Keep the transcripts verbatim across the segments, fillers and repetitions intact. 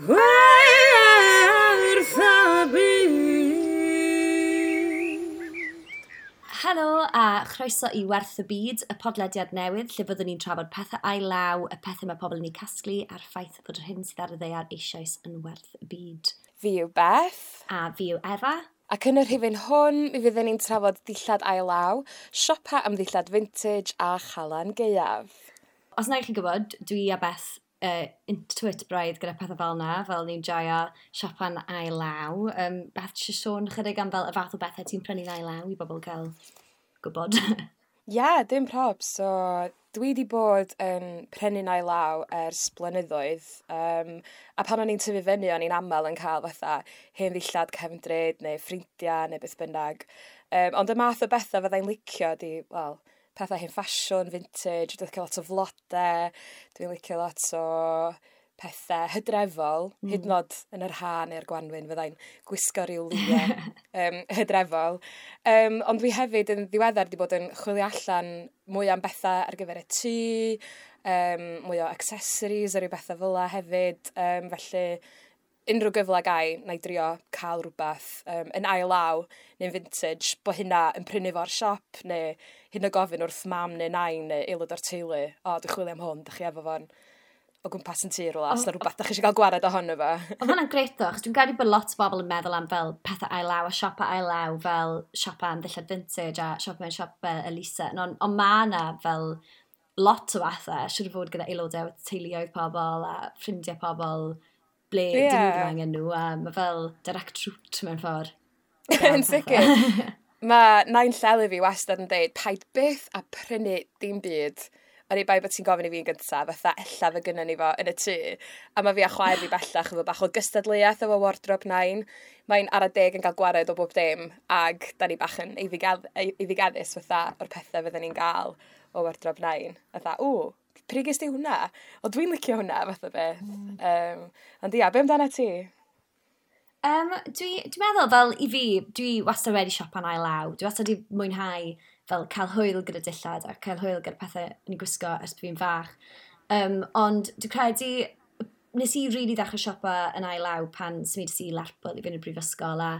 Werth y byd. Helo a chroeso i Werth y Byd, y podlediad newydd lle fyddwn ni'n trafod pethau ail law, y pethau mae pobl yn eu casglu a'r ffaith fod yr hyn sydd ar y ddaear eisoes yn werth y byd. Fi yw Beth. A fi yw Efa. Ac yn y rhifyn hwn, mi fyddwn ni'n trafod dillad ail law, siopa am ddillad vintage a chalan gaeaf. Os na i chi gwybod, dwi a Beth uh, into it braidd gyda pethau fel na, fel ni'n joio siopa'n ail law. Um, Beth, eisiau sôn chydig am fel y fath o bethau ti'n prynu'n ail law i bobl cael gwybod? Ie, yeah, dim prob. So, dwi wedi bod yn prynu'n ail law ers blynyddoedd. Um, a pan o'n i'n tyfu fyny, o'n i'n aml yn cael fatha hen ddillad cefndryd neu ffrindiau neu beth bynnag. Um, ond y math o bethau fyddai'n licio di, wel, pethau hen ffasiwn, vintage, dwi'n licio lot o flodau, dwi'n licio lot o pethau hydrefol, mm. hyd yn oed yn yr ha neu'r gwanwyn fyddai'n gwisgo rhyw liwiau um, hydrefol. Um, ond dwi hefyd yn ddiweddar wedi bod yn chwilio allan mwy am bethau ar gyfer y tŷ, um, mwy o accessories a rhyw bethau fel 'a hefyd. Um, felly unrhyw gyfle gai, na i drio cael rhywbeth um, yn ail law neu'n vintage, bod hynna yn prynu fo'r siop, neu hyn o gofyn wrth mam neu nain neu aelod o'r teulu, "O, dwi'n chwilio am hwn, dach chi efo fo'n o gwmpas yn tŷ rhywle, os yna rhywbeth dach chi eisiau cael gwared ohono fo?" Oedd hwnna'n grêt ddo, achos dwi'n credu bod lot o bobl yn meddwl am fel pethau ail law a siopa ail law fel siopa am ddillad vintage a siopa mewn siop fel elusen. Ond on ma na fel lot o fathau, siŵr o fod gyda aelodau o teuluoedd pobl a ffrindiau pobl ble yeah. dyn nhw ddim angen nhw, a mae fel direct route mewn ffordd. Yn sicr. Mae nain Lleli fi wastad yn deud, "Paid byth a prynu dim byd oni bai bod ti'n gofyn i fi'n gyntaf, fatha ella fe gynnon ni fo yn y tŷ." A mae fi a chwaer fi bellach efo bach o gystadleuaeth efo wardrobe nain. Mae'n ara deg yn cael gwared o bob dim, ag da ni bach yn eiddigeddus fatha o'r pethau fydden ni'n gael o wardrobe nain. Fatha, "Ww, pryd ges di hwnna? O, dwi'n licio hwnna," fath o beth. Mm. Um, ond ia, be amdana ti? Um, dwi, dwi'n meddwl fel i fi, dwi wastad wedi siopa'n ail law. Dwi wastad wedi mwynhau fel cael hwyl gyda dillad a cael hwyl gyda pethau yn ei gwisgo ers bod fi'n fach. Um, ond dwi'n credu, nes i really ddechrau siopa yn ail law pan symudais i Lerpwl i fynd i'r brifysgol, a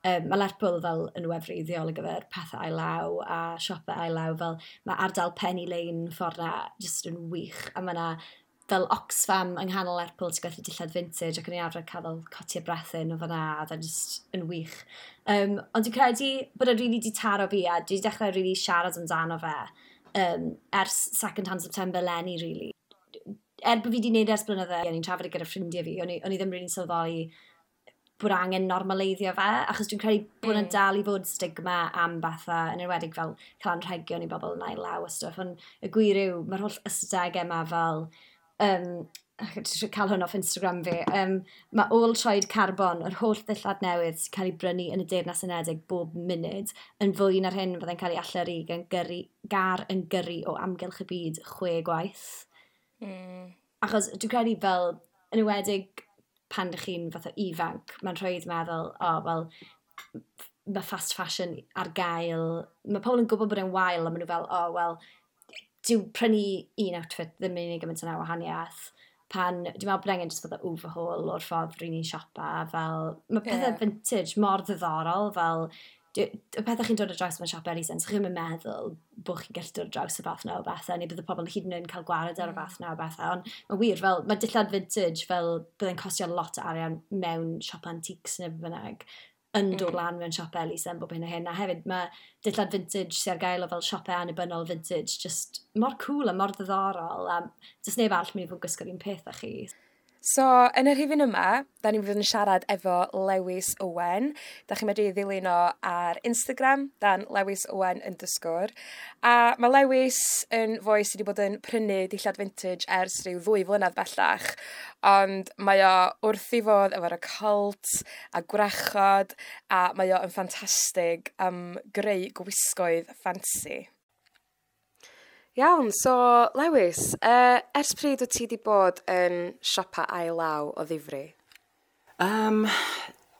um, mae Lerpwl fel yn wefreiddiol ar gyfer pethau ail law a siopa ail law, fel mae ardal Penny Lane ffordd na just yn wych a mae yna fel Oxfam yng nghanol Lerpwl sy'n gwerthu dillad vintage ac o'n i'n arfer cael fel cotiau brethyn o fan'na a oedd e just yn wych. Um, ond dwi'n credu bod e really di taro fi a dwi wedi dechrau really siarad amdano fe um, ers Second Hand September leni, really. Er bod fi wedi gwneud ers blynydde, o'n i'n trafod e gyda ffrindiau fi, o'n i, o'n i ddim really sylweddoli bod angen normaleiddio fe, achos dwi'n credu bod yna mm. dal i fod stigma am bethau, yn enwedig fel cael anrhegion i bobl yn ail law a stuff, ond y gwir yw, mae'r holl ystadegau yma fel, um, cael hwn off Instagram fi, um, mae ôl troed carbon, yr holl ddillad newydd sy'n cael ei brynu yn y Deyrnas Unedig bob munud, yn fwy na'r hyn fyddai'n cael ei allyrru gan gyrru, gar yn gyrru o amgylch y byd chwe gwaith. Mm. Achos dwi'n credu fel, yn enwedig pan ydych chi'n fath o ifanc, mae'n rhwydd meddwl, "O, wel, mae fast fashion ar gael." Mae pobl yn gwybod bod e'n wael, a maen nhw fel, "O, wel, dyw prynu un outfit ddim yn unig gymaint yna wahaniaeth." Pan, dwi'n meddwl bod angen jyst fath o overhaul o'r ffordd ry'n ni'n siopa, fel, mae pethau yeah. vintage mor ddiddorol, fel, y pethau chi'n dod ar draws mewn siop elusen, so chi'n meddwl bod chi'n gallu dod ar draws y fath na o bethau, neu bydd y pobl hyd yn oed yn cael gwared ar y fath na o bethau, ond mae'n wir, fel, mae dillad vintage fel byddai'n costio lot o arian mewn siop antiques neu beth bynnag, yn dod mm. lan mewn siop elusen bob hyn a hyn, a hefyd mae dillad vintage sy'n ar gael o fel siopau annibynnol vintage, just mor cool a mor ddiddorol, a does neb arall mynd i fod yn gwisgo'r un peth â chi. So, yn y rhifyn yma, da ni'n fydd yn siarad efo Lewis Owen. Da chi'n medru ddilyn o ar Instagram, dan Lewis Owen underscore. A mae Lewis yn foi sydd wedi bod yn prynu dillad vintage ers rhyw ddwy flynedd bellach. Ond mae o wrth ei fodd efo'r occult a gwrachod, a mae o yn ffantastig am greu gwisgoedd ffansi. Iawn, so Lewis, uh, ers pryd wyt ti wedi bod yn siopa ail law o ddifri? Um,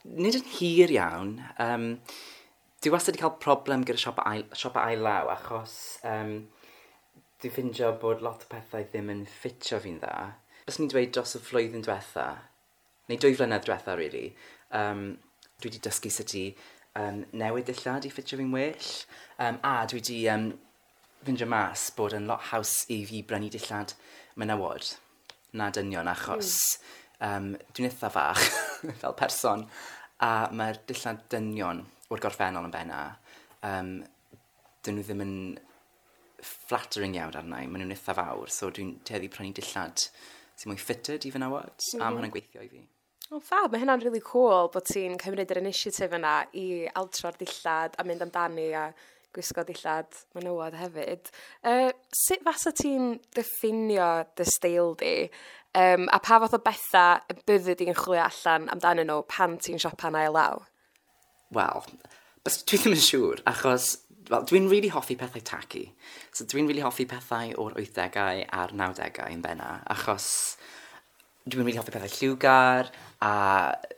nid yn hir iawn. Um, dwi wastad wedi cael problem gyda siopa ail, siopa ail law achos um, dwi'n ffindio bod lot o pethau ddim yn ffitio fi'n dda. Bys ni'n dweud dros y flwyddyn diwetha, neu dwy flynedd diwetha, really, um, dwi wedi dysgu sut i um, newid dillad i ffitio fi'n well. Um, a dwi wedi um, ffindio mas bod yn lot haws i fi brynu dillad menywod na dynion achos mm. um, dwi'n eitha fach fel person a mae'r dillad dynion o'r gorffennol yn benna, um, dyn nhw ddim yn flattering iawn arna i, maen nhw'n eitha fawr, so dwi'n tueddu prynu dillad sy'n mwy fitted i fenywod, mm -hmm. a mae hwnna'n gweithio i fi. O, oh, fab, mae hynna'n really cool bod ti'n cymryd yr initiative yna i altro'r dillad a mynd amdani a gwisgo dillad menywod hefyd. Uh, sut fasa ti'n diffinio dy steil di? Um, a pa fath o bethau y byddi di'n chwilio allan amdanyn nhw pan ti'n siopa'n ail law? Wel, bys dwi ddim yn siŵr, achos well, dwi'n really hoffi pethau tacky. So dwi'n really hoffi pethau o'r wythdegau a'r nawdegau yn benna, achos dwi'n really hoffi pethau lliwgar a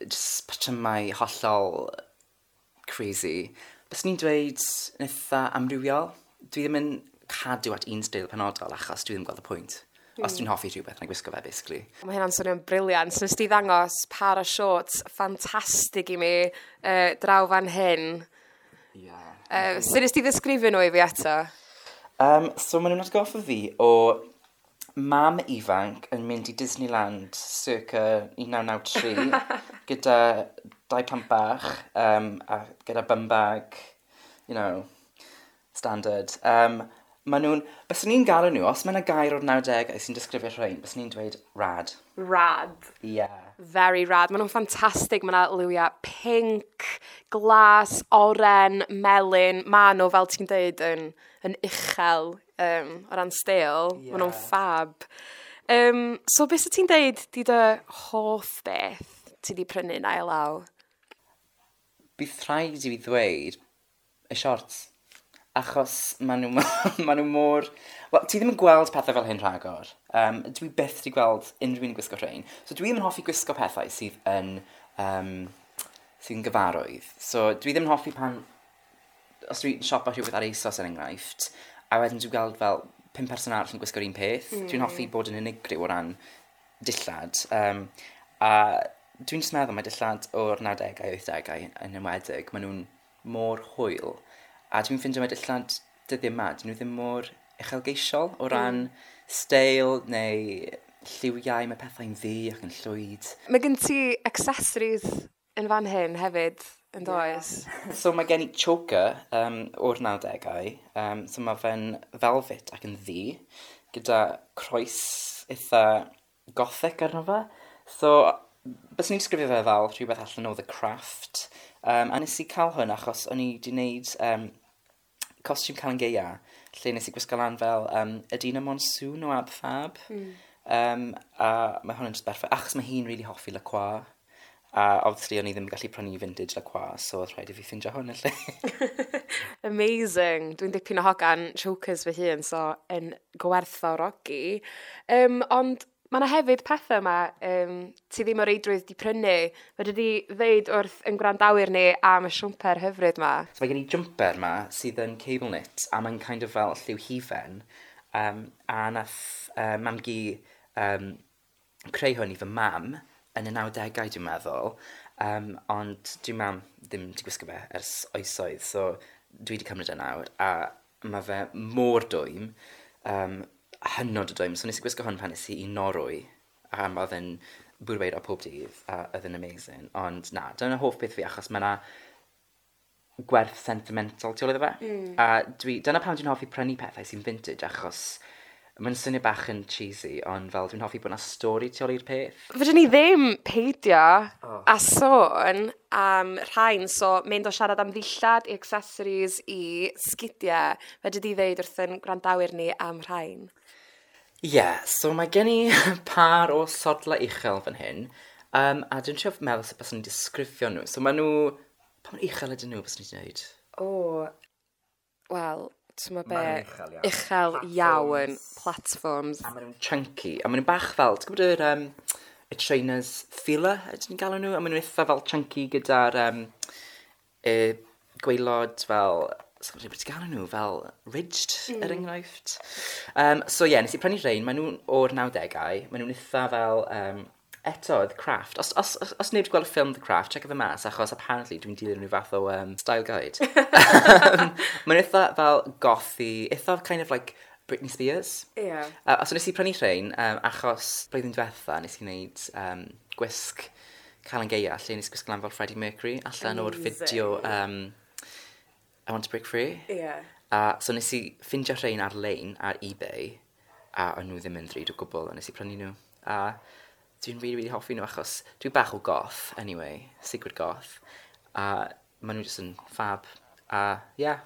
just patrymau hollol crazy. Bys ni'n dweud yn eitha amrywiol. Dwi ddim yn cadw at un steil penodol achos dwi ddim yn gweld y pwynt. Mm. Os dwi'n hoffi rhywbeth, na i gwisgo fe, basically. Mae hynna'n swnio'n brilliant. So, nes di ddangos par o shorts ffantastig i mi uh, draw fan hyn. Yeah. Uh, sut nes di ddisgrifio nhw i fi eto? Um, so maen nhw'n atgoffa fi o mam ifanc yn mynd i Disneyland circa un naw naw tri gyda dau plant bach um, a gyda bum bag, you know, standard. Um, maen nhw'n, byswn ni'n galw nhw, os mae yna gair o'r nawdegau sy'n disgrifio rhain, byswn ni'n dweud rad. Rad. Yeah. Very rad. Maen nhw'n ffantastig. Mae yna liwiau pink, glas, oren, melyn. Maen nhw, fel ti'n dweud, yn, yn uchel um, o ran steil. Yeah. Maen nhw'n fab. Um, so, beth ti'n dweud di dy hoff beth ti di prynu yn ail law? Bydd rhaid i fi ddweud y shorts. Achos maen nhw, ma nhw mor... Wel, ti ddim yn gweld pethau fel hyn rhagor. Um, dwi byth di gweld unrhyw un yn gwisgo rhain. So dwi ddim yn hoffi gwisgo pethau sydd yn, um, sydd yn gyfarwydd. So dwi ddim yn hoffi pan... Os dwi'n siopa rhywbeth ar ASOS er enghraifft, a wedyn dwi'n gweld fel pum person arall yn gwisgo'r un peth. Mm. Dwi'n hoffi bod yn unigryw o ran dillad. Um, a dwi'n just meddwl mae dillad o'r nawdegau, wythdegau yn enwedig, maen nhw'n mor hwyl. A dwi'n ffindio mae dillad dyddiau yma, dyn nhw ddim mor uchelgeisiol o ran mm. steil neu lliwiau, mae pethau'n ddu ac yn llwyd. Mae gen ti accessories yn fan hyn hefyd, yn does? Yeah. So mae gen i choker um, o'r nawdegau. Um, so mae fe'n velvet ac yn ddu, gyda croes eitha gothic arno fe. So, bys ni'n disgrifio fe fel rhywbeth allan o The Craft. Um, a nes i cael hwn achos o'n i wedi gwneud um, costiwm Calan Gaea, lle nes i gwisgo lan fel um, Edina Monsoon o Ab Fab. Mm. Um, a mae hwn yn just berffaith, achos mae hi'n really hoffi LaCroix. A obviously o'n i ddim yn gallu prynu vintage LaCroix, so oedd rhaid i fi ffindio hwn yn lle. Amazing. Dwi'n dipyn o hogan chokers fy hun, so yn gwerthfawrogi. Um, ond mae yna hefyd pethau yma um, ti ddim o reidrwydd di prynu. Fedri di ddeud wrth yn gwrandawyr ni am y siwmper hyfryd yma? So mae gen i jumper yma sydd yn cable knit a mae'n kind of fel lliw hufen. Um, a nath uh, mam-gu um, creu hwn i fy mam yn y nawdegau dwi'n meddwl. Um, ond dwi'n mam ddim wedi gwisgo fe ers oesoedd, so dwi wedi cymryd e nawr. A mae fe mor dwym, um, hynod o dwym. So nes i gwisgo hwn pan nes i i Norwy, a oedd yn bwrw eira pob dydd, a oedd yn amazing. Ond na, dyna hoff beth fi, achos mae yna gwerth sentimental tu ôl iddo fe. Mm. A dwi, dyna pam dwi'n hoffi prynu pethau sy'n vintage, achos mae'n swnio bach yn cheesy, ond fel dwi'n hoffi bod yna stori tu ôl i'r peth. Fedrwn ni ddim peidio oh. a sôn am rhain, so mynd o siarad am ddillad i accessories i sgidiau. Fedri di ddeud wrth yn gwrandawyr ni am rhain? Ie, yeah, so mae gen i par o sodla uchel fan hyn, um, a dwi'n trio meddwl sut byswn i'n disgrifio nhw. So maen nhw... Pa mor uchel ydyn nhw, byswn i'n dweud? O, wel, ti'n be, uchel iawn. Uchel iawn. Platforms. A maen nhw'n chunky. A maen nhw'n bach fel, ti'n gwybod yr, um, y trainers Fila, ydyn ni'n galw nhw? A maen nhw'n eitha fel chunky gyda'r um, y gwaelod fel, so, beth ti'n galw nhw? Fel ridged, mm. er enghraifft. Um, so ie, yeah, nes i prynu rhain, maen nhw'n o'r nawdegau, maen nhw'n eitha fel um, Eto, The Craft. Os, os, os, os neb wedi gweld y ffilm The Craft, check fe mas, achos apparently dwi'n dilyn rhyw fath o um, style guide. Mae'n eitha fel gothy, eitha kind of like Britney Spears. Ie. Yeah. Uh, so nes i prynu rhain, um, achos blwyddyn diwetha nes i wneud um, gwisg Calan Gaea, lle nes i gwisgo lan fel Freddie Mercury, allan o'r Amazing. fideo um, I Want to Break Free. Ie. Yeah. A so nes i ffindio rhain ar-lein ar eBay, a o'n nhw ddim yn ddrud o gwbl, a nes i prynu nhw. A dwi'n really, really hoffi nhw achos dwi bach o goth, anyway, secret goth. A maen nhw jyst yn fab. A yeah,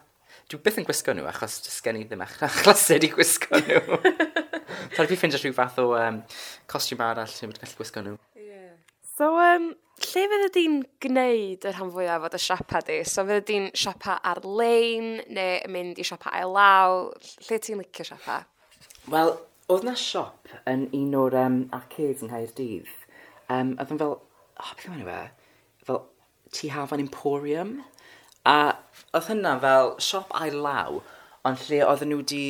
dwi byth yn gwisgo nhw achos jyst gen i ddim ach- achlysur i gwisgo nhw. So rhaid fi ffindio rhyw fath o um, costiwm arall lle dwi'n gallu gwisgo nhw. So, um, lle fydde di'n gwneud y rhan fwyaf o dy siapa di? So, fydde di'n siapa ar-lein neu yn mynd i siapa ail law? Lle ti'n licio siapa? Wel, oedd na siop yn un o'r um, arcades yng Nghaerdydd. Um, oedd yn fel, oh, beth yw enw e? Fel Tŷ Hafan Emporium. A oedd hynna fel siop ail law, ond lle oedden nhw wedi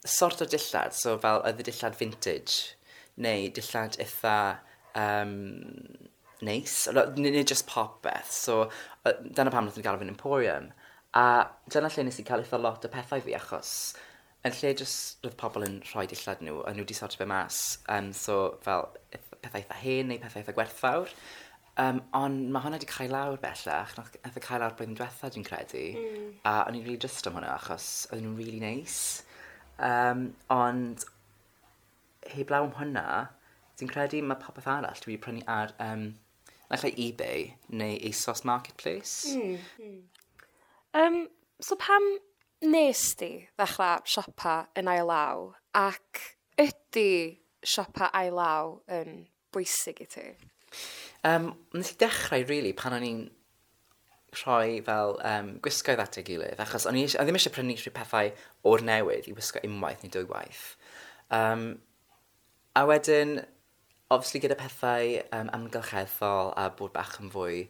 sort o dillad, so fel oedd y dillad vintage, neu dillad eitha um, neis, neu, neu just popeth. So, uh, dyna pam wnaethon nhw galw fe'n Emporium. A dyna lle nes i cael eitha lot o pethau fi, achos yn lle just roedd pobl yn rhoi dillad nhw, a nhw wedi sortio fe mas. Um, so, fel ith- pethau eitha hen neu pethau eitha gwerthfawr. Um, ond mae hwnna wedi cael lawr bellach, nath nath e cael lawr blwyddyn diwetha dwi'n credu. Mm. A o'n i'n really drist am hwnna achos oedden nhw'n really nice. Um, ond heblaw am hwnna, dwi'n credu mae popeth arall dwi wedi prynu ar um, naill ai eBay neu ASOS Marketplace. Mm. Um, so, pam nes di ddechrau siopa yn ail law ac ydy siopa ail law yn bwysig i ti? Um, nes i dechrau, really, pan o'n i'n rhoi fel um, gwisgoedd at ei gilydd, achos o'n i eis- o'n i ddim eisiau prynu rhyw pethau o'r newydd i wisgo unwaith neu dwywaith. Um, a wedyn, obviously gyda pethau um, amgylcheddol a bod bach yn fwy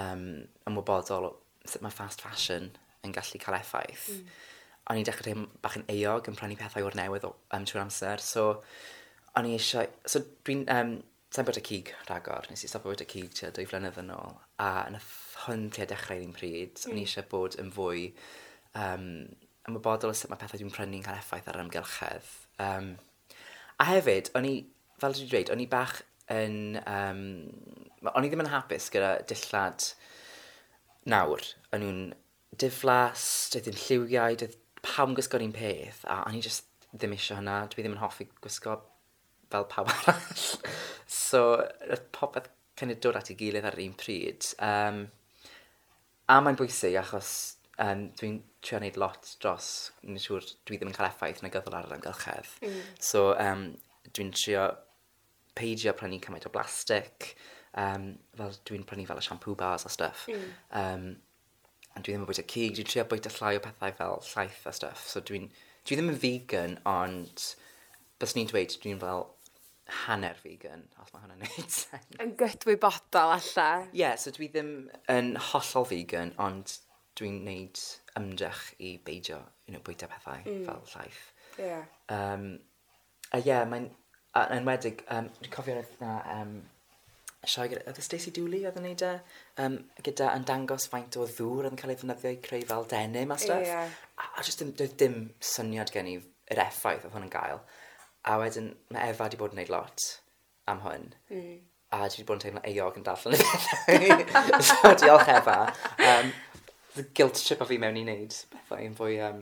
um, ymwybodol o sut mae fast fashion yn gallu cael effaith. Mm. O'n i'n dechrau teimlo bach yn euog yn prynu pethau o'r newydd o, um, trwy'r amser. So, o'n i eisiau... So, dwi'n... Um, Sa'n bwyta cig rhagor. Nes i stopio bwyta cig tua dwy flynedd yn ôl. A nath hwn tua dechrau'r un pryd. Mm. O'n i eisiau bod yn fwy um, ymwybodol o sut mae pethau dwi'n prynu'n cael effaith ar yr amgylchedd. Um, a hefyd, o'n i, fel dwi'n dweud, o'n i bach yn... Um, o'n i ddim yn hapus gyda dillad nawr. O'n nhw'n diflas, doedd ddim lliwiau, doedd pawb yn gwisgo'r un peth, a o'n i just ddim eisiau hynna. Dwi ddim yn hoffi gwisgo fel pawb arall. So, roedd popeth kind of dod at ei gilydd ar yr un pryd. Um, a mae'n bwysig achos um, dwi'n trio wneud lot dros, yn siŵr dwi ddim yn cael effaith negyddol ar yr amgylchedd. Mm. So, um, dwi'n trio peidio prynu cymaint o blastig, um, fel dwi'n prynu fel y shampoo bars a stuff. Mm. Um, a dwi ddim yn bwyta cig, dwi'n trio bwyta llai o pethau fel llaeth a stuff. So dwi'n, dwi ddim yn vegan, ond bys ni'n dweud dwi'n fel hanner vegan, os mae hwnna'n neud sense. Yn gydwybodol alla. Ie, yeah, so dwi ddim yn hollol vegan, ond dwi'n neud ymdrech i beidio, you know, bwyta pethau mm. fel llaeth. Ie. Yeah. Um, a ie, yeah, mae'n... A yn enwedig, um, dwi'n cofio roedd na um, sioe gyda... Oedd y Stacey Dooley oedd yn neud e? Um, gyda yn dangos faint o ddŵr oedd yn cael ei ddefnyddio i creu fel denim a stuff. Ie. A, a just dim, doedd dim syniad gen i yr effaith oedd hwn yn gael. A wedyn mae Efa wedi bod yn neud lot am hwn. Mm. A dwi wedi bod yn teimlo euog yn darllen y pethau. So diolch Efa. Um, the guilt trip o fi mewn i wneud pethau yn fwy um,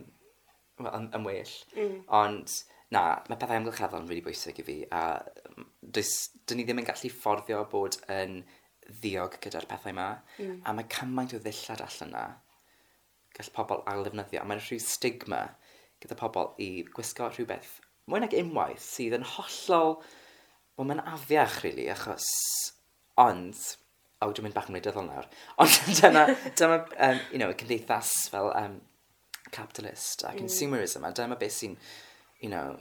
wel, yn, yn well. Mm. Ond na, mae pethau amgylcheddol yn really bwysig i fi. A mm, does, dyn ni ddim yn gallu fforddio bod yn ddiog gyda'r pethau yma. Mm. A mae cymaint o ddillad allan na gall pobl ail-ddefnyddio. A mae'n rhyw stigma gyda pobl i gwisgo rhywbeth mwy nag unwaith sydd yn hollol... Wel, mae'n afiach, really, achos... Ond... O, dwi'n mynd bach yn wleidyddol nawr. Ond dyma, dyma um, you know, cymdeithas fel um, capitalist a consumerism, a dyma beth sy'n, you know,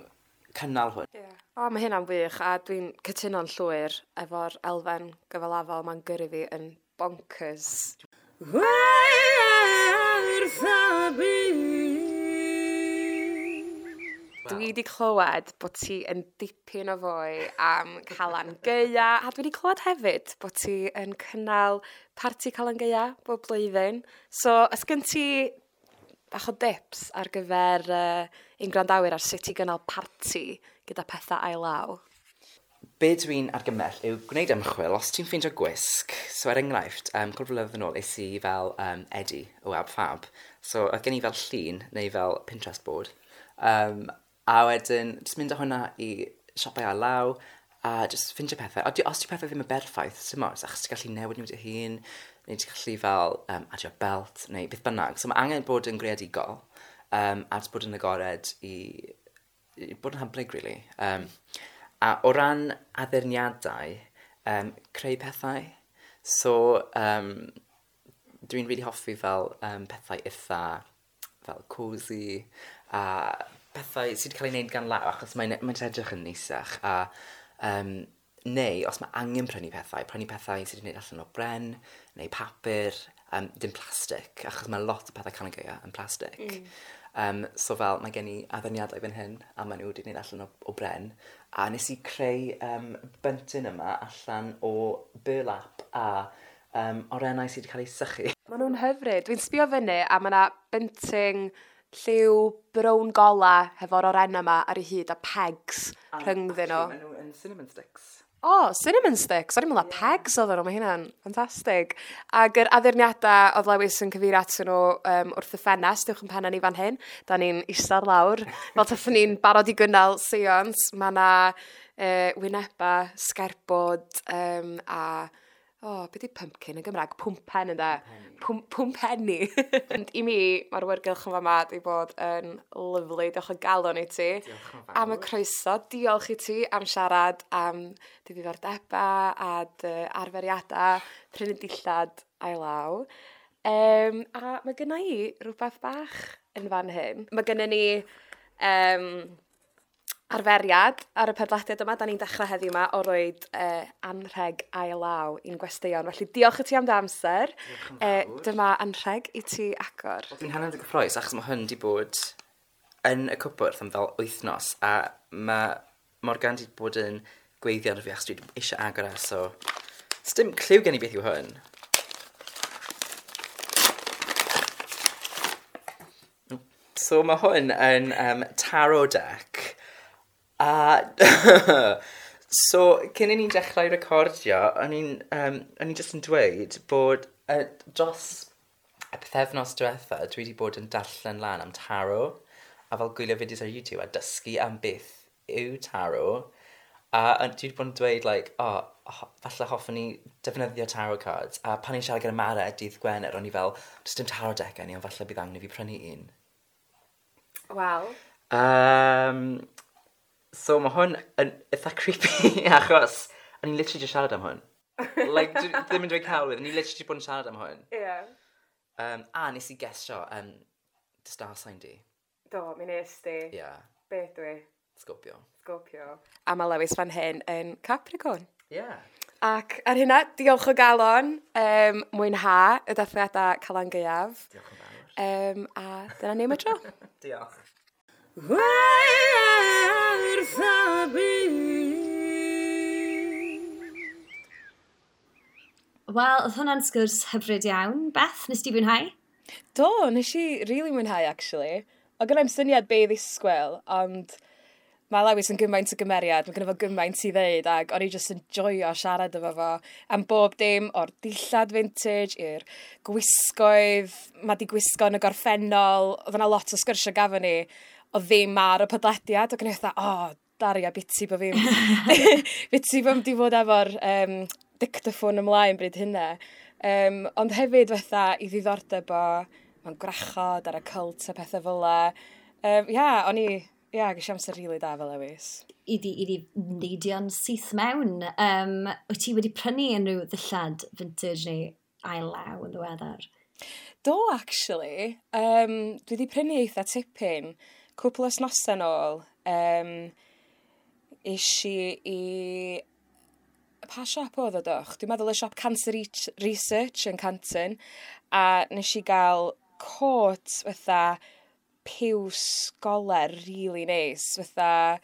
cynnal hwn. Yeah. O, mae hynna'n wych, a dwi'n cytuno'n llwyr efo'r elfen gyfalafol mae'n gyrru fi yn bonkers. Wrth y byd. Dwi wedi clywed bod ti yn dipyn o foi am Calan Gaea, a dwi wedi clywed hefyd bod ti yn cynnal parti Calan Gaea bob blwyddyn. So, oes gen ti bach o dips ar gyfer uh, ein gwrandawyr ar sut i gynnal parti gyda pethau ail law? Be dwi'n argymell yw gwneud ymchwil os ti'n ffeindio gwisg. So er enghraifft, um, cwpl o flynyddoedd yn ôl, es i fel um, Eddie o Ab Fab. So oedd gen i fel llun neu fel Pinterest board. Um, a wedyn, jyst mynd â hwnna i siopau ail law a jyst ffeindio pethau. A di, os di pethau ddim yn berffaith, dim ots, achos ti'n gallu newid nhw dy hun, neu ti'n gallu fel um, adio belt, neu beth bynnag. So mae angen bod yn greadigol um, a jyst bod yn agored i, i bod yn hyblyg, really. Um, a o ran addurniadau, um, creu pethau. So, um, dwi'n really hoffi fel um, pethau eitha fel cosy a pethau sydd wedi cael ei wneud gan law achos mae'n mae'n edrych yn neisach a um, neu os mae angen prynu pethau, prynu pethau sydd wedi gwneud allan o bren neu papur, um, dim plastig, achos mae lot o pethau Calan Gaea yn plastig. Mm. Um, so fel, mae gen i addurniadau fan hyn, a maen nhw wedi gwneud allan o, o bren. A nes i creu um, bunting yma allan o burlap a um, orennau sydd wedi cael eu sychu. Maen nhw'n hyfryd. Dwi'n sbio fyny a mae yna bunting lliw brown gola hefo'r orenna yma ar ei hyd a pegs rhyngddyn nhw. Maen nhw yn cinnamon sticks. O, oh, cinnamon sticks. O'n i'n meddwl yeah. pegs oedden nhw, mae hynna'n ffantastig. Ac yr addurniadau oedd Lewis yn cyfeirio atyn nhw um, wrth y ffenest, uwch yn penna ni fan hyn. Da ni'n eistedd lawr, fel tathyn ni'n barod i gynnal seance. Mae yna uh, wyneba, sgerbod um, a... O, oh, beth di pumpkin yn Gymraeg? Pwmpen ynde? Pwm, pwmpenni. Ond i mi, mae'r awyrgylch yn fama di bod yn lyfli. Diolch o galon i ti. Diolch yn fawr. Am y croeso. Diolch i ti am siarad am dy ddiddordebau a dy arferiadau, prynu dillad ail law. Um, a mae gynna i rhywbeth bach yn fan hyn. Mae gynna ni um, arferiad ar y podlediad yma. Da ni'n dechrau heddiw yma o roed uh, anrheg ail law i'n gwesteion. Felly diolch i ti am dy amser. Diolch yn Uh, fawr. dyma anrheg i ti agor. Dwi'n hynod o gyffrous achos mae hwn wedi bod yn y cwpwrdd am fel wythnos a mae Morgan wedi bod yn gweithio ar fi achos dwi eisiau agor e, so sdim cliw gen i beth yw hwn. So mae hwn yn um, tarot deck a so cyn i ni dechrau recordio o'n i'n um, o'n i jyst yn dweud bod uh, dros y pythefnos diwetha dwi wedi bod yn darllen lan am tarot a fel gwylio fideos ar YouTube a dysgu am beth yw tarot a, a dwi wedi bod yn dweud like, oh, ho, falle hoffwn i defnyddio tarot cards a pan i'n siarad gyda Mara dydd Gwener o'n i fel does dim tarot deck gen i ond falle bydd angen i fi prynu un. Wel. Um, so mae hwn yn eitha creepy achos o'n i'n literally just siarad am hwn. Like, dwi ddim yn dweud celwydd, o'n i literally just bod yn siarad am hwn. Ie. Yeah. Um, a nes i gesio um, dy star sign di. Do, mi nes di. Yeah, Beth dwi? Scorpio. Scorpio. A mae Lewis fan hyn yn Capricorn. Yeah. Ac ar hynna, diolch o galon, um, mwynha y dathliadau Calan Gaeaf. Diolch yn fawr. Um, a dyna ni am y tro. Diolch. Wrth y byd. Wel, oedd hwnna'n sgwrs hyfryd iawn. Beth, nes ti fwynhau? Do, nes i really mwynhau, actually. O gynnai'm syniad be i ddisgwyl, ond mae Lewis yn gymaint o gymeriad, mae gynno fo gymaint i ddeud, ac o'n i jyst yn joio siarad efo fo am bob dim, o'r dillad vintage i'r gwisgoedd, mae di gwisgo yn y gorffennol, oedd yna lot o sgyrsiau gafon ni, o ddim ar y podlediad, ac o'n i fatha, o, oh, Daria, biti bo fi'n... biti bo fi'n di fod efo'r um, dictaphone ymlaen bryd hynna. Um, ond hefyd fatha i ddiddordeb o mewn gwrachod ar y cult a pethau fel 'la. Um, ia, o'n i, ia, ges i amser rili da fel Lewis. I di, i di neidio'n syth mewn. Um, wyt ti wedi prynu unrhyw ddillad vintage neu ail law yn ddiweddar? Do, actually. Um, dwi wedi prynu eitha tipyn. Cwpl o wythnosau nôl. Um, es i i... Pa siop oedd o doch? Dwi'n meddwl y siop Cancer Research yn Canton. A nes i gael cot fatha piws golau really neis, fatha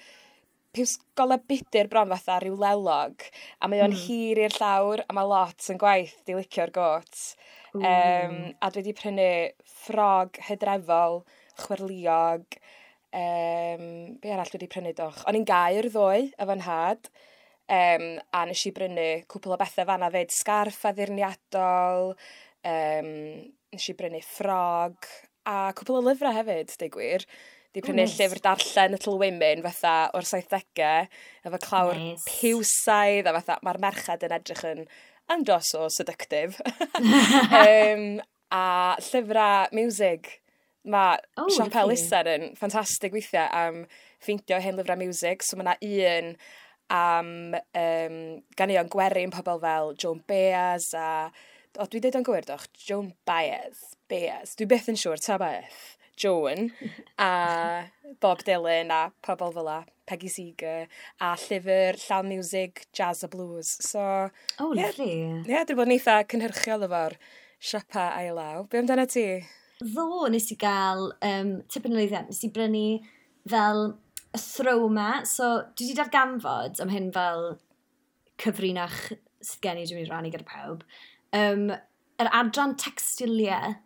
piws golau budur bron fatha rhyw lelog, a mae o'n mm. hir i'r llawr, a mae lot yn gwaith di licio'r got. Um, a dwi wedi prynu ffrog hydrefol, chwerliog, um, be arall dwi wedi prynu doch? O'n i'n Gaer ddoe efo nhad, um, a nes i brynu cwpl o bethau fanna fyd, sgarff addurniadol, um, nes i brynu ffrog, a cwpl o lyfrau hefyd, deud gwir. Di prynu oh, nice. llyfr darllen Little Women fatha o'r saithdegau, efo clawr nice. piwsaidd, a fatha mae'r merched yn edrych yn andros o seductive. um, a llyfrau music. Mae oh, siop elusen yn ffantastig weithiau am ffeindio hen lyfrau music. So mae yna un am um, ganeuon gwerin pobl fel Joan Baez a... O, dwi dweud o'n gywir doch? Joan Baez. Baez. Dwi byth yn siŵr, ta beth. Joan a Bob Dylan a pobl fel la, Peggy Seeger a llyfr llawn music, jazz a blues. So, oh, lovely. Ie, yeah, dwi bod yn eitha cynhyrchiol efo'r siopa ail law. Be amdano ti? Ddo, nes i gael um, tipyn o lwyddiant. Nes i brynu fel y throw ma. So, dwi wedi darganfod am hyn fel cyfrinach sydd gen i dwi'n mynd i rannu gyda pawb. Um, yr adran textiliau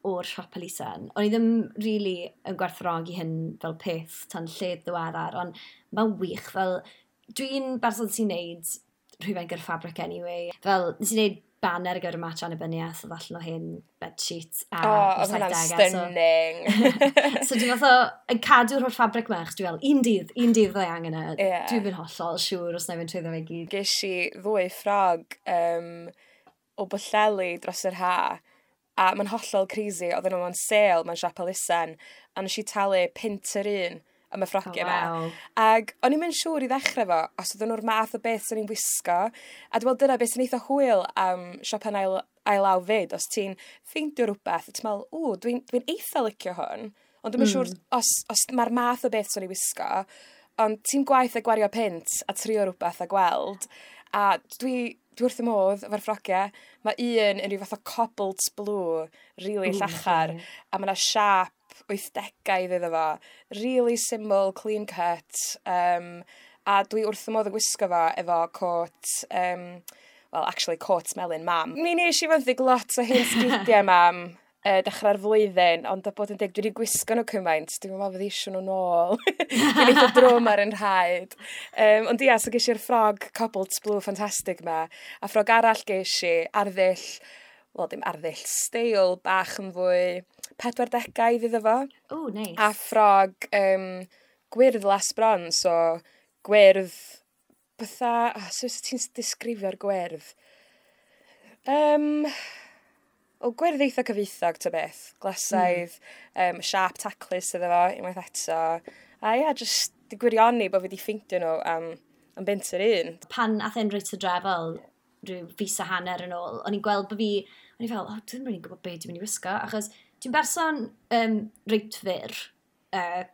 o'r siop elusen. O'n i ddim really yn gwerthfawrogi hyn fel peth tan lled ddiweddar, ond mae'n wych. Fel, dwi'n berson sy'n neud rhywfaint gyda fabric anyway. Fel, nes i neud banner ar gyfer y match annibyniaeth, oedd allan o hyn bedsheet a oh, oedd hwnna'n stunning. So, so dwi'n fath o yn cadw'r holl fabric ma, achos dwi'n fel, un dydd, un dydd fydda i angen e. Yeah. Dwi'n mynd hollol siŵr os na i fynd trwyddo fe gyd. Ges i ddwy ffrog um, o Bwllheli dros yr ha, a mae'n hollol crazy, oedden nhw mewn sale mewn siop elusen, a nes i talu punt yr un am y ffrogiau oh, wow. yma. Ac o'n i'n mynd siŵr i ddechrau fo, os oedden nhw'r math o beth sy'n i'n wisgo. A dwi'n meddwl dyna beth sy'n eitha hwyl am siopa'n ail, ail law fyd, os ti'n ffeindio rhywbeth, ti'n meddwl, ww, dwi'n dwi eitha licio hwn, ond dwi'n mm. siŵr os, os mae'r math o beth sy'n i'n wisgo, ond ti'n gwaith a gwario punt a trio rhywbeth a gweld, a dwi, dwi wrth y modd efo'r ffrogiau. Mae un yn rhyw fath o cobalt blue, really Ooh, llachar, lovely. a mae yna siap wythdegau iddo fo. Really simple, clean cut. Um, a dwi wrth y modd yn gwisgo fo efo cot, um, well, actually cot melyn mam. Mi nes i fenthyg lot o hen sgidiau mam uh, dechrau'r flwyddyn, ond a bod yn deg, dwi wedi gwisgo nhw cymaint, dwi'n meddwl fydd eisiau nhw nôl. Dwi'n eitha drwm ar yn rhaid. Um, ond ia, so ges i'r ffrog cobalt blue ffantastig ma, a ffrog arall ges i arddull, wel dim arddull, steil bach yn fwy pedwardegau iddo fo. Oh, nice. A ffrog um, gwyrdd las bron, so gwyrdd, fatha, oh, so ti'n disgrifio'r gwyrdd? Um, o gwyrdd eitha cyfoethog, ta beth. Glasaidd, mm. um, siap taclus iddo fo, unwaith eto. A ia, just di gwirioni bod fi wedi ffeindio nhw am, am bunt yr un. Pan ath e'n reit hydrefol, rhyw fis a hanner yn ôl, o'n i'n gweld bod fi, o'n i fel, oh, dwi'n rili'n gwybod beth dwi'n mynd i wisgo, achos dwi'n berson um, reit fyr. Uh,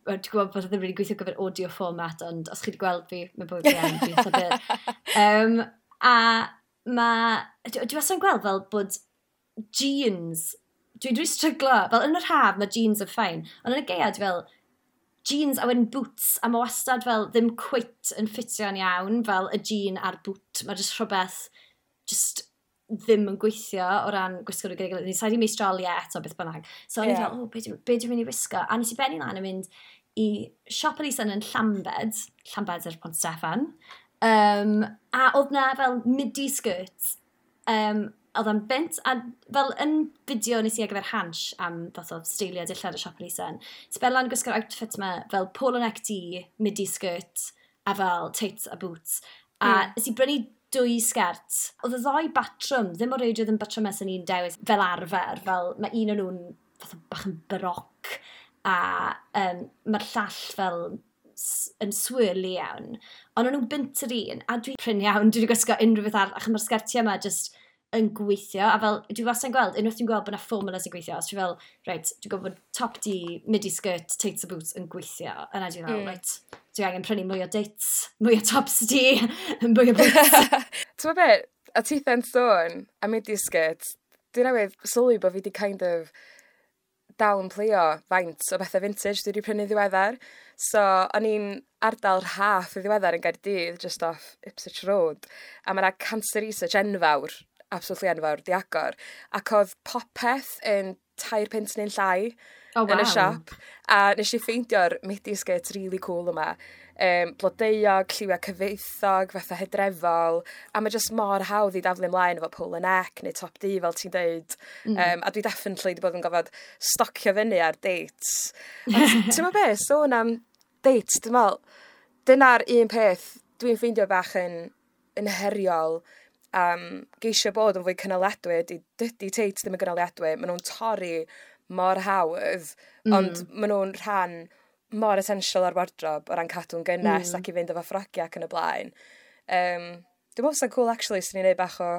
dwi'n gwybod bod ddim rili gweithio gyfer audio format, ond os chi wedi gweld fi, mae bywyd fi yn, dwi'n eitha byr. Um, a ma, dwi dwi wastad yn gweld fel bod jeans, dwi'n dwi stryglo, fel yn yr haf mae jeans yn fine, ond yn y gaeaf dwi fel, jeans a wedyn boots, a mae wastad fel ddim cweit yn ffitio'n iawn, fel y jean a'r boot, mae jyst rhywbeth just ddim yn gweithio o ran gwisgo nhw gyda'i gilydd. Ni sa'i di meistroli e eto beth bynnag. So o'n i Ie. fel, oh, be dwi'n be dwi'n mynd i wisgo? A nes i benni lan yn mynd i siop elusen yn Llambed, Llambed ar Pont Steffan, um, a oedd na fel midi skirts, um, oedd o'n bunt, a fel yn fideo nes i ar gyfer Hansh am fath o steilio dillad y siop elusen, ti'n lan gwisgo'r outfit yma fel polo neck du, midi skirt, a fel tights a boots. A Mm. nes i brynu dwy sgert. Oedd y ddau batrwm, ddim o reidrwydd yn batrymau sy'n ni'n dewis fel arfer, fel mae un o'n nhw'n fath o bach yn baroc, a um, mae'r llall fel s- yn swirly iawn. Ond o'n nhw'n bunt yr un, a dwi prin iawn, dwi wedi gwisgo unrhyw beth arall, achos mae'r sgertiau yma just yn gweithio, a fel, dwi wastad yn gweld, unwaith dwi'n gweld bod yna formula sy'n gweithio, os dwi fel, reit, dwi'n gwybod bod top du, midi skirt, tights a boots yn gweithio, yna dwi'n fel, Mm. reit, dwi angen prynu mwy o tights, mwy o tops du, mwy o boots. Ti'n be, a titha'n sôn am midi skirt, dwi'n newydd sylwi bod fi di kind of downplayo faint o bethau vintage dwi wedi prynu ddiweddar. So, o'n i'n ardal Rhath y ddiweddar yn Gaerdydd, just off Ipswich Road, a mae yna cancer research enfawr, absolutely enfawr, di agor. Ac oedd popeth yn tair punt neu'n llai Oh, yn y wow. siop. A nes i ffeindio'r midi skirt really cool yma. Um, blodeuog, lliwiau cyfoethog, fatha hydrefol. A mae just mor hawdd i daflu ymlaen efo polo neck neu top du fel ti'n deud. Mm. Um, a dwi definitely wedi bod yn gofod stocio fyny ar dates. Ond ti'n meddwl be, sôn am dates, dwi'n meddwl, dyna'r un peth dwi'n ffeindio bach yn, yn heriol am geisio bod yn fwy cynaliadwy ydy, dydy teits ddim yn gynaliadwy, maen nhw'n torri mor hawdd, mm. ond maen nhw'n rhan mor essential ar wardrobe o ran cadw'n gynnes mm. ac i fynd efo ffrogiau ac yn y blaen. Um, dwi'n meddwl sy'n cool actually sy'n ni'n neud bach o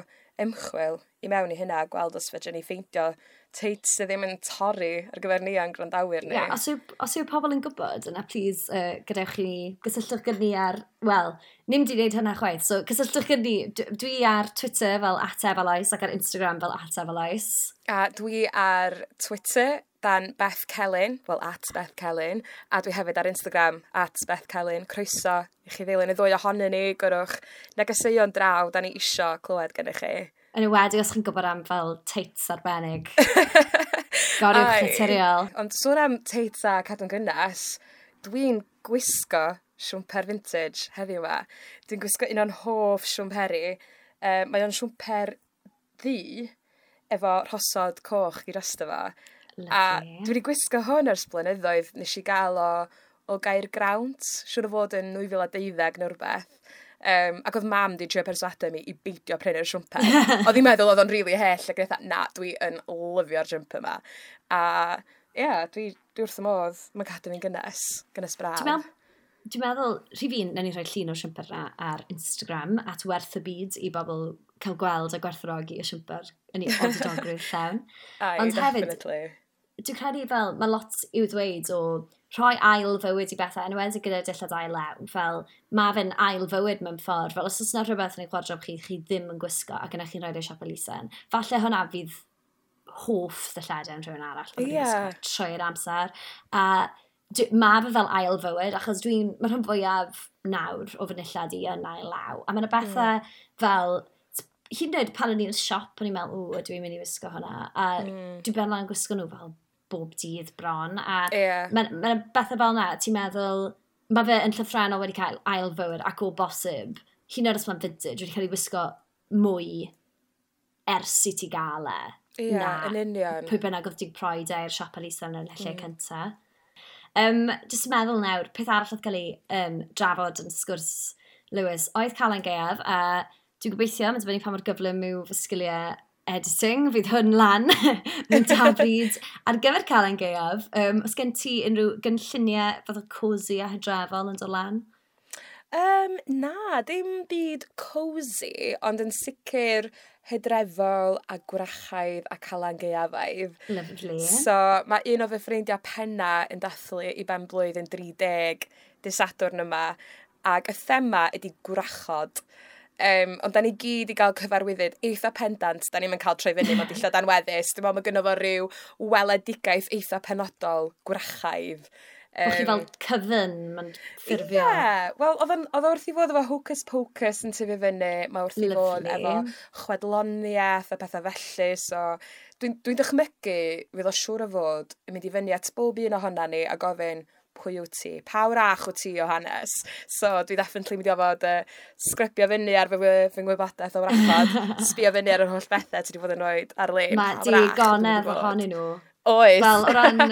ymchwil i mewn i hynna a gweld os fedrwn ni ffeindio teits sydd ddim yn torri ar gyfer ni a'n gwrandawyr ni. Ie, yeah, os yw, os yw pobl yn gwybod, yna please, uh, gadewch i ni, gysylltwch gyda ni ar, wel, nim di wneud hynna chwaith, so gysylltwch gyda ni, D- dwi ar Twitter fel at Efaloes ac ar Instagram fel at Efaloes. A dwi ar Twitter dan Beth Celyn, wel at Beth Celyn, a dwi hefyd ar Instagram at Beth Celyn. Croeso i chi ddilyn y ddwy ohonyn ni, gyrwch negeseuon draw, da ni isio clywed gennych chi. Yn enwedig os chi'n gwybod am fel teits arbennig. Goriwch Ai. naturiol. Ond sôn am teits a cadw'n gynnes, dwi'n gwisgo siwmper vintage heddiw yma. Dwi'n gwisgo un o'n hoff siwmperi. Uh, mae o'n siwmper ddu efo rhosod coch i drosto fo. A Lovely. dwi wedi gwisgo hwn ers blynyddoedd. Nes i gael o, o Gaergrawnt, siŵr o fod yn dwy fil a deuddeg neu rhywbeth. Um, ac oedd mam di trio perswadio mi i beidio prynu'r siwmper. Oedd hi'n meddwl oedd o'n rili really hyll ac oedd na, dwi yn lyfio'r jumper yma. A ie, yeah, dwi, dwi wrth y modd. Mae'n cadw fi'n gynnes, gynnes braf. Dwi'n meddwl, dwi'n meddwl, rhif un, nawn ni rhoi llun o'r siwmper na ar Instagram, at werth y byd i bobl cael gweld a gwerthfawrogi y siwmper yn ei odidogrwydd llawn. Ai, Ond hefyd, definitely. Dwi'n credu fel, mae lot i'w ddweud o rhoi ail fywyd i bethau, yn enwedig gyda dillad ail law, fel mae fe'n ail fywyd mewn ffordd, fel os oes yna rhywbeth yn eich wardrobe chi, chi ddim yn gwisgo ac yna chi'n rhoi e siop elusen, falle hwnna fydd hoff ddilledau yn rhywun arall, maen nhw'n Ie. gwisgo trwy'r amser. A dwi- mae fe fel ail fywyd, achos dwi'n, mae rhan fwyaf nawr o fy nillad i yn ail law. A mae yna bethau mm. fel, hyd yn oed pan o'n i'n y siop, o'n i'n meddwl, o, ydw i'n mynd i wisgo hwnna. A mm. dwi'n ben lan gwisgo nhw fel bob dydd bron. A Ie. mae ma bethau fel yna, ti'n meddwl, mae fe yn llythrennol wedi cael ail fywyd ac o bosib, hyd yn oed os mae'n vintage, wedi cael ei wisgo mwy ers i ti gael e. Ie, na yn union. pwy bynnag oedd di prodi e i'r siop elusen yn y lle mm. cynta. Um, Jyst yn meddwl nawr, peth arall oedd cael ei um, drafod yn sgwrs Lewis oedd Calan Gaeaf, a dwi'n gobeithio, mae'n dibynnu pa mor gyflym yw fy sgiliau editing, fydd hwn lan mewn da bryd ar gyfer Calan Gaeaf. Um, os gen ti unrhyw gynlluniau fath o cosy a hydrefol yn dod lan? Um, na, dim byd cosy, ond yn sicr hydrefol a gwrachaidd a calan gaeafaidd. Lovely. So, mae un o fy ffrindiau penna yn dathlu i ben blwydd yn dri deg dydd Sadwrn yma, ac y thema ydy gwrachod. Um, ond da ni gyd i gael cyfarwyddyd eitha pendant, da ni'n cael troi fyny mewn dillad anweddus. Dwi'n meddwl mae gynno fo ryw weledigaeth eitha penodol gwrachaidd. Um, Bo chi fel coven, mae'n ffurfio. Ie, yeah, wel, oedd o'n- oedd o wrth i fod efo Hocus Pocus yn tyfu fyny, mae wrth i fod Lovely. efo chwedloniaeth a pethau felly, so dwi'n dwi dychmygu fydd o siŵr o fod yn mynd i fyny at bob un ohona ni a gofyn pwy wyt ti, pa wrach wyt ti o hanes. So dwi definitely mynd i ofod uh, sgrybio fyny ar fy, fy ngwybodaeth o wrachod, sbio fyny ar yr holl bethau ti wedi bod yn rhoi ar-lein. Mae Pa wrach ydw i wedi digonedd bod? ohonyn nhw. Oes. Wel, o ran,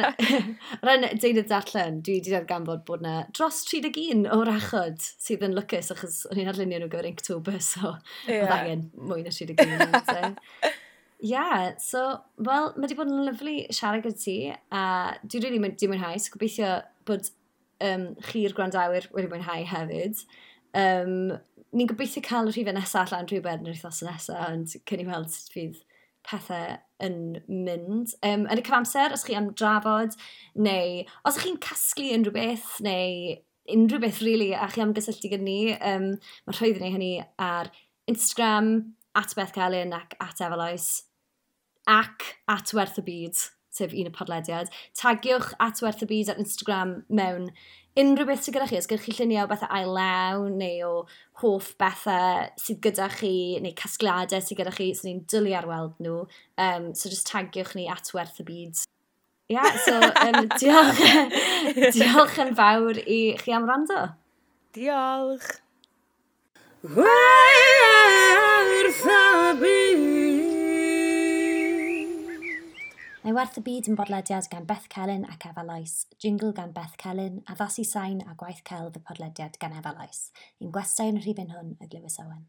o ran deunydd darllen, dwi wedi darganfod bod na dros tri deg un o wrachod sydd yn lwcus achos o'n i'n arlunio nhw gyfer Inktober, so Ie. oedd angen mwy na tri deg un. So. Yeah, so, wel, mae wedi bod yn lyfli siarad gyda ti, a dwi rili really di mwynhau, so gobeithio bod um, chi'r gwrandawyr wedi mwynhau hefyd. Um, ni'n gobeithio cael y rhifau nesaf allan rhywbeth yn yr wythnos nesaf, ond cyn i weld sut fydd pethau yn mynd. Um, yn y cyfamser, os chi am drafod, neu os ych chi'n casglu unrhyw beth, neu unrhyw beth really, a chi am gysylltu gyda ni, um, mae rhwydd i ni hynny ar Instagram, at Beth Celyn ac at Efeloes, ac at Werth y Byd, sef un y podlediad. Tagiwch at Werth y Byd ar Instagram mewn unrhyw beth sydd gyda chi. Os gyda chi lluniau o bethau ail law neu o hoff bethau sydd gyda chi neu casgliadau sydd gyda chi, so ni'n dwlu ar weld nhw. Um, so just tagiwch ni at Werth y Byd. Ia, yeah, so um, diolch, diolch yn fawr i chi am wrando. Diolch! Werth y Byd. Mae Werth y Byd yn bodlediad gan Beth Celyn ac Efa Lois, jingle gan Beth Celyn, addasu sain a gwaith celf y podlediad gan Efa Lois. Un gwestai yn y rhifyn hwn oedd Lewis Owen.